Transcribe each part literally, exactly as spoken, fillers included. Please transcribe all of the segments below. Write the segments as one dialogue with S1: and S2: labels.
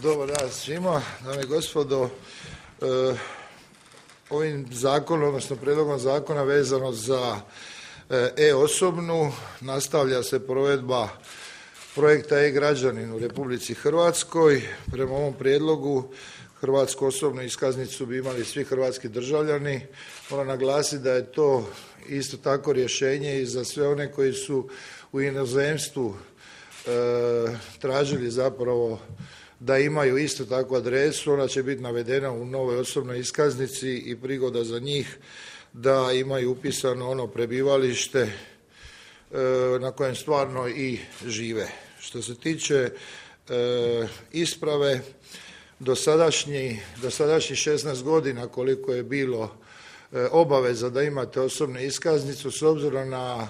S1: Dobar dan svima, dame i gospodo. E, ovim zakonom, odnosno prijedlogom zakona vezano za e-osobnu nastavlja se provedba projekta e-građanin u Republici Hrvatskoj. Prema ovom prijedlogu hrvatsku osobnu iskaznicu bi imali svi hrvatski državljani. Moram naglasiti da je to isto tako rješenje i za sve one koji su u inozemstvu e, tražili zapravo da imaju isto takvu adresu. Ona će biti navedena u novoj osobnoj iskaznici i prigoda za njih da imaju upisano ono prebivalište e, na kojem stvarno i žive. Što se tiče e, isprave, dosadašnji, dosadašnji šesnaest godina koliko je bilo e, obaveza da imate osobnu iskaznicu s obzirom na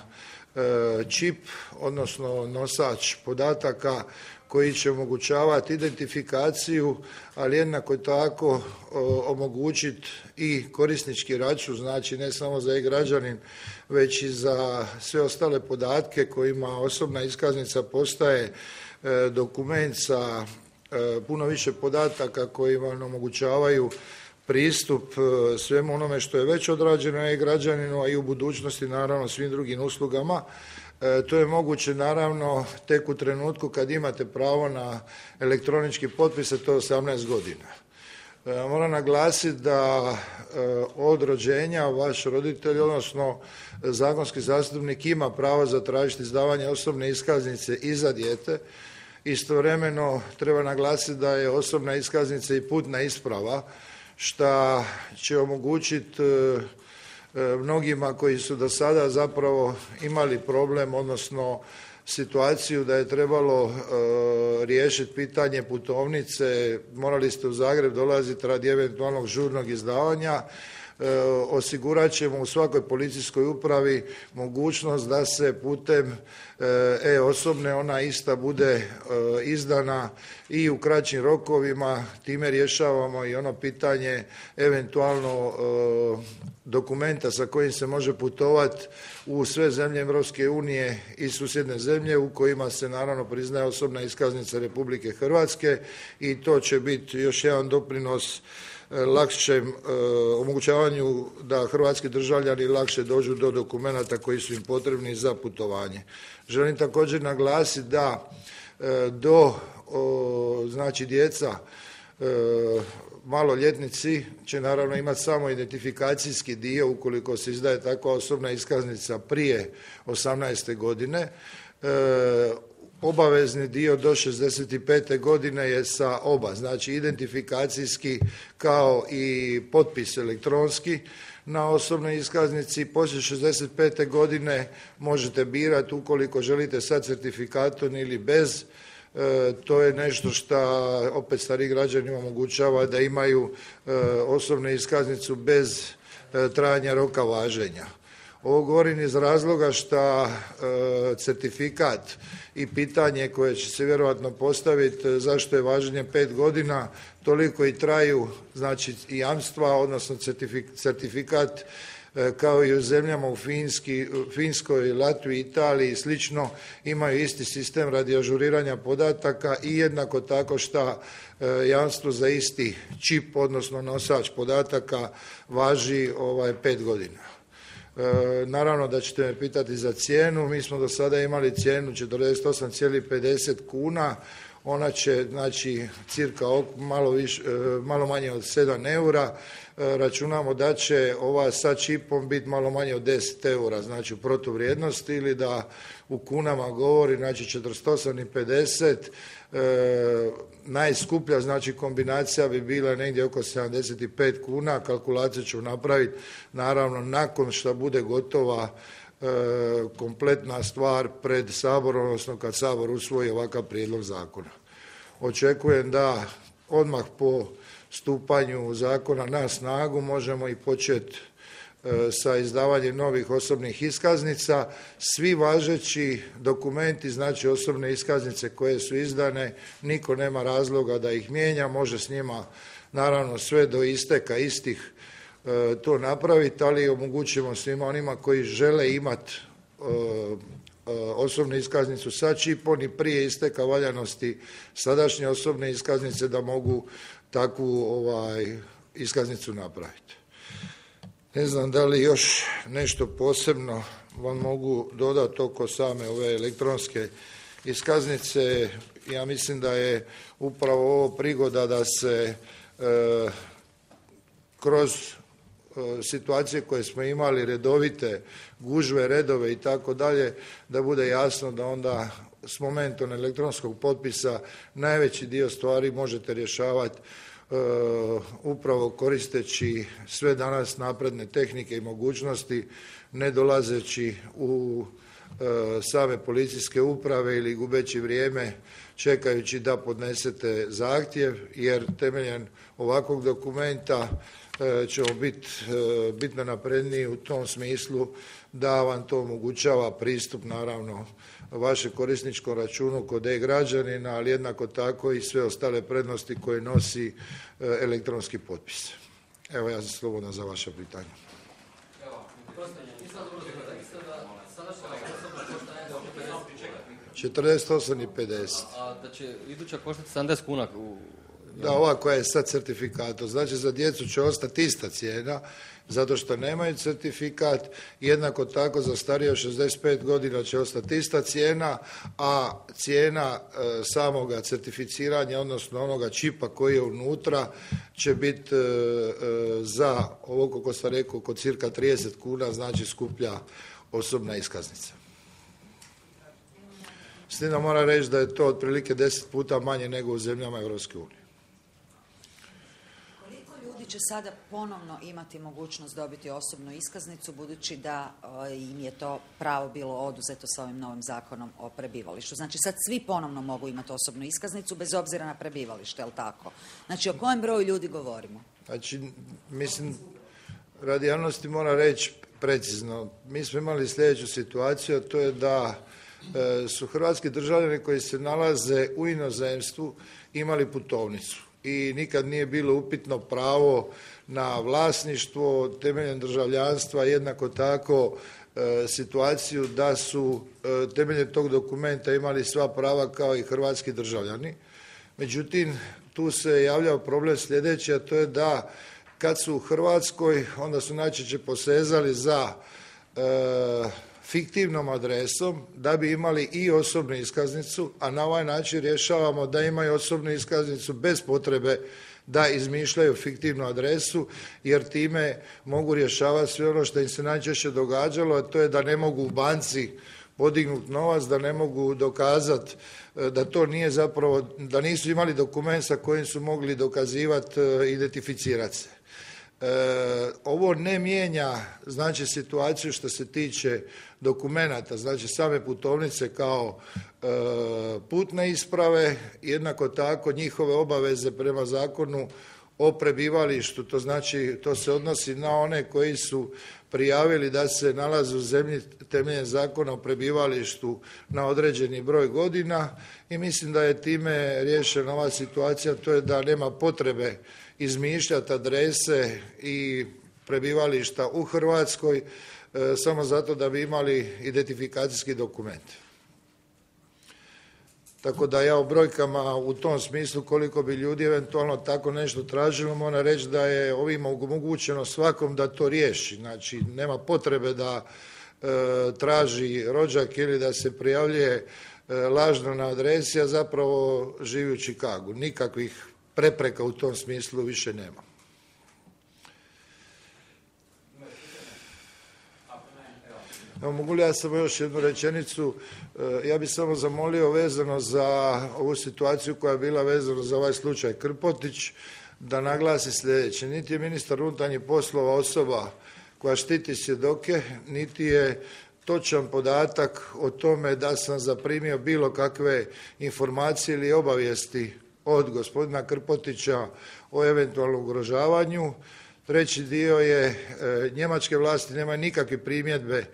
S1: e, čip, odnosno nosač podataka koji će omogućavati identifikaciju, ali jednako tako omogućiti i korisnički račun, znači ne samo za e-građanin, već i za sve ostale podatke kojima osobna iskaznica postaje e, dokument sa e, puno više podataka koji vam omogućavaju pristup e, svemu onome što je već odrađeno e-građaninu, a i u budućnosti naravno svim drugim uslugama. E, to je moguće naravno tek u trenutku kad imate pravo na elektronički potpis, a to je osamnaest godina. E, moram naglasiti da e, od rođenja vaš roditelj, odnosno zakonski zastupnik ima pravo zatražiti izdavanje osobne iskaznice i za dijete. Istovremeno treba naglasiti da je osobna iskaznica i putna isprava, što će omogućiti e, mnogima koji su do sada zapravo imali problem, odnosno situaciju da je trebalo e, riješiti pitanje putovnice, morali ste u Zagreb dolaziti radi eventualnog žurnog izdavanja. E, osigurat ćemo u svakoj policijskoj upravi mogućnost da se putem e-osobne ona ista bude e, izdana i u kraćim rokovima. Time rješavamo i ono pitanje eventualno e, dokumenta sa kojim se može putovati u sve zemlje Europske unije i susjedne zemlje u kojima se naravno priznaje osobna iskaznica Republike Hrvatske i to će biti još jedan doprinos lakšem e, omogućavanju da hrvatski državljani lakše dođu do dokumenata koji su im potrebni za putovanje. Želim također naglasiti da e, do o, znači djeca e, maloljetnici će naravno imati samo identifikacijski dio ukoliko se izdaje takva osobna iskaznica prije osamnaeste godine. E, Obavezni dio do šezdeset pete godine je sa oba, znači identifikacijski kao i potpis elektronski na osobnoj iskaznici. Poslije šezdeset pete godine možete birati ukoliko želite sa certifikatom ili bez. E, to je nešto što opet stariji građanima omogućava da imaju e, osobnu iskaznicu bez e, trajanja roka važenja. Ovo govorim iz razloga što e, certifikat i pitanje koje će se vjerojatno postaviti zašto je važenje pet godina, toliko i traju znači i jamstva, odnosno certifikat e, kao i u zemljama u Finski, Finskoj, Latviji, Italiji i slično imaju isti sistem radi ažuriranja podataka i jednako tako što e, jamstvo za isti čip, odnosno nosač podataka važi ovaj pet godina. E, naravno da ćete me pitati za cijenu. Mi smo do sada imali cijenu četrdeset osam zarez pedeset kuna. Ona će znači cirka malo, više, malo manje od sedam eura. E, računamo da će ova sa čipom biti malo manje od deset eura, znači u protuvrijednosti, ili da u kunama govori znači četrdeset osam zarez pedeset. E, najskuplja znači kombinacija bi bila negdje oko sedamdeset pet kuna. Kalkulaciju ću napraviti naravno nakon što bude gotova e, kompletna stvar pred Saborom, odnosno kad Sabor usvoji ovakav prijedlog zakona. Očekujem da odmah po stupanju zakona na snagu možemo i početi sa izdavanjem novih osobnih iskaznica. Svi važeći dokumenti, znači osobne iskaznice koje su izdane, niko nema razloga da ih mijenja, može s njima naravno sve do isteka istih to napraviti, ali omogućimo svima onima koji žele imati osobnu iskaznicu sa čipom i prije isteka valjanosti sadašnje osobne iskaznice da mogu takvu ovaj, iskaznicu napraviti. Ne znam da li još nešto posebno vam mogu dodati oko same ove elektronske iskaznice. Ja mislim da je upravo ovo prigoda da se e, kroz e, situacije koje smo imali, redovite gužve, redove i tako dalje, da bude jasno da onda s momentom elektronskog potpisa najveći dio stvari možete rješavati Uh, upravo koristeći sve danas napredne tehnike i mogućnosti, ne dolazeći u uh, same policijske uprave ili gubeći vrijeme čekajući da podnesete zahtjev, jer temeljem ovakvog dokumenta uh, ćemo biti uh, bitno napredniji u tom smislu da vam to omogućava pristup naravno vašem korisničkom računu kod e-građanina, ali jednako tako i sve ostale prednosti koje nosi elektronski potpis. Evo, ja sam slobodan za vaše pitanje. četrdeset osam i pedeset.
S2: A da će iduća koštati sedamdeset kuna?
S1: Da, ova koja je sad certifikatom. Znači, za djecu će ostati ista cijena, zato što nemaju certifikat. Jednako tako za starije od šezdeset pet godina će ostati ista cijena, a cijena e, samoga certificiranja, odnosno onoga čipa koji je unutra, će biti e, e, za ovo, kako sam rekao, oko cirka trideset kuna, znači skuplja osobna iskaznica. S tim da moram reći da je to otprilike deset puta manje nego u zemljama Europske unije.
S3: Će sada ponovno imati mogućnost dobiti osobnu iskaznicu, budući da o, im je to pravo bilo oduzeto sa ovim novim zakonom o prebivalištu. Znači sad svi ponovno mogu imati osobnu iskaznicu bez obzira na prebivalište, je li tako? Znači o kojem broju ljudi govorimo?
S1: Znači, mislim, radi javnosti moram reći precizno. Mi smo imali sljedeću situaciju, a to je da e, su hrvatski državljani koji se nalaze u inozemstvu imali putovnicu. I nikad nije bilo upitno pravo na vlasništvo temeljem državljanstva, jednako tako e, situaciju da su e, temeljem tog dokumenta imali sva prava kao i hrvatski državljani. Međutim, tu se javljao problem sljedeći, a to je da kad su u Hrvatskoj, onda su najčešće posezali za e, fiktivnom adresom da bi imali i osobnu iskaznicu, a na ovaj način rješavamo da imaju osobnu iskaznicu bez potrebe da izmišljaju fiktivnu adresu, jer time mogu rješavati sve ono što im se najčešće događalo, a to je da ne mogu u banci podignuti novac, da ne mogu dokazati da to nije zapravo, da nisu imali dokument sa kojim su mogli dokazivati, identificirati se. E, ovo ne mijenja znači situaciju što se tiče dokumenata, znači same putovnice kao e, putne isprave, jednako tako njihove obaveze prema zakonu o prebivalištu, to znači to se odnosi na one koji su prijavili da se nalaze u zemlji temeljem zakona o prebivalištu na određeni broj godina i mislim da je time riješena ova situacija, to je da nema potrebe izmišljati adrese i prebivališta u Hrvatskoj e, samo zato da bi imali identifikacijski dokument. Tako da ja o brojkama u tom smislu koliko bi ljudi eventualno tako nešto tražilo, moram reći da je ovim omogućeno svakom da to riješi. Znači nema potrebe da e, traži rođak ili da se prijavljuje e, lažno na adresi, a zapravo živi u Čikagu. Nikakvih prepreka u tom smislu više nema. Evo, mogu li ja samo još jednu rečenicu? Ja bih samo zamolio vezano za ovu situaciju koja je bila vezana za ovaj slučaj Krpotić, da naglasi sljedeće. Niti je ministar unutarnjih poslova osoba koja štiti svjedoke, niti je točan podatak o tome da sam zaprimio bilo kakve informacije ili obavijesti od gospodina Krpotića o eventualnom ugrožavanju. Treći dio je e, njemačke vlasti nemaju nikakve primjedbe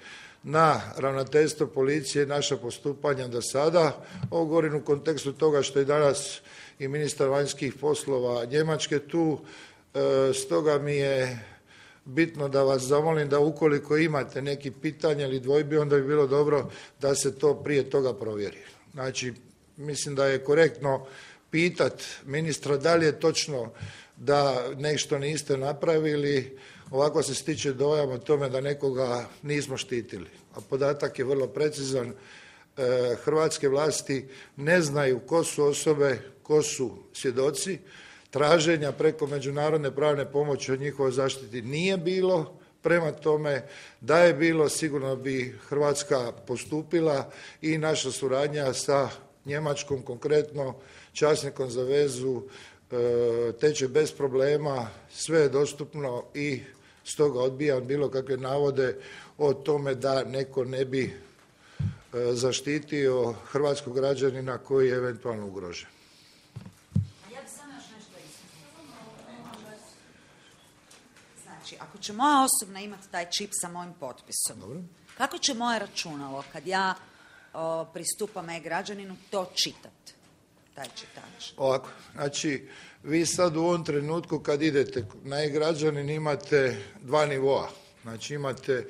S1: na ravnateljstvo policije i naša postupanja do sada. Ovo govorim u kontekstu toga što je danas i ministar vanjskih poslova Njemačke tu, e, stoga mi je bitno da vas zamolim da ukoliko imate neki pitanja ili dvojbi, onda bi bilo dobro da se to prije toga provjeri. Znači, mislim da je korektno pitat ministra da li je točno da nešto niste napravili, ovako se stiče dojam o tome da nekoga nismo štitili. A podatak je vrlo precizan. E, hrvatske vlasti ne znaju ko su osobe, ko su svjedoci. Traženja preko međunarodne pravne pomoći od njihovoj zaštiti nije bilo. Prema tome, da je bilo, sigurno bi Hrvatska postupila i naša suradnja sa Njemačkom, konkretno časnikom za vezu, teče bez problema, sve je dostupno i stoga odbijam bilo kakve navode o tome da neko ne bi zaštitio hrvatskog građanina koji je eventualno ugrožen.
S3: Ja bih samo još nešto istaknula. Znači, ako će moja osobna imati taj čip sa mojim potpisom,
S1: Dobro.
S3: Kako će moje računalo kad ja o, pristupam e-građaninu to čitati, taj čitač?
S1: Ovako, znači vi sad u ovom trenutku kad idete na e-građanin imate dva nivoa. Znači imate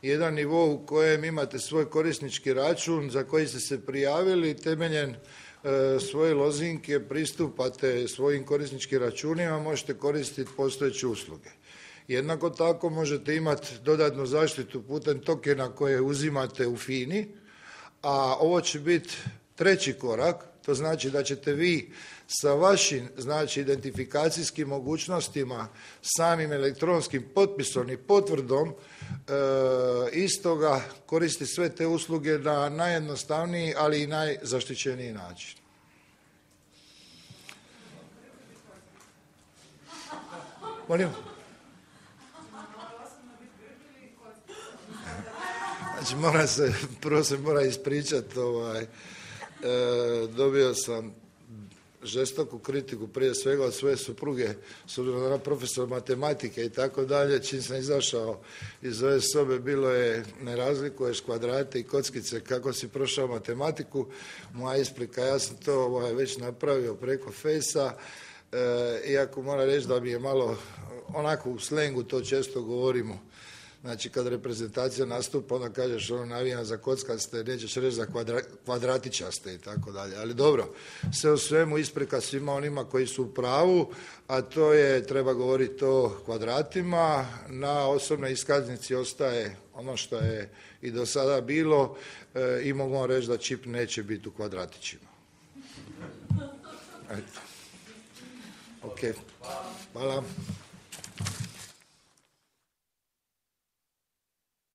S1: jedan nivo u kojem imate svoj korisnički račun za koji ste se prijavili i temeljem e, svoje lozinke pristupate svojim korisničkim računima, možete koristiti postojeće usluge. Jednako tako možete imati dodatnu zaštitu putem tokena koje uzimate u FINA-i, a ovo će biti treći korak, to znači da ćete vi sa vašim znači, identifikacijskim mogućnostima, samim elektronskim potpisom i potvrdom e, istoga koristiti sve te usluge na najjednostavniji, ali i najzaštićeniji način. Molim? Znači, mora se, prvo se mora ispričati, ovaj, e, dobio sam žestoku kritiku prije svega od svoje supruge, s obzirom da je ona profesor matematike i tako dalje, čim sam izašao iz ove sobe, bilo je ne razlikuješ kvadrate i kockice kako si prošao matematiku, moja isprika, ja sam to ovaj, već napravio preko Fejsa, e, iako moram reći da mi je malo, onako u slengu to često govorimo. Znači, kad reprezentacija nastupa, onda kažeš ono navijam za kockaste, nećeš reći za kvadra, kvadratičaste i tako dalje. Ali dobro, sve u svemu isprika svima onima koji su u pravu, a to je, treba govoriti o kvadratima. Na osobnoj iskaznici ostaje ono što je i do sada bilo e, i mogu vam reći da čip neće biti u kvadratićima. Eto. Ok. Hvala.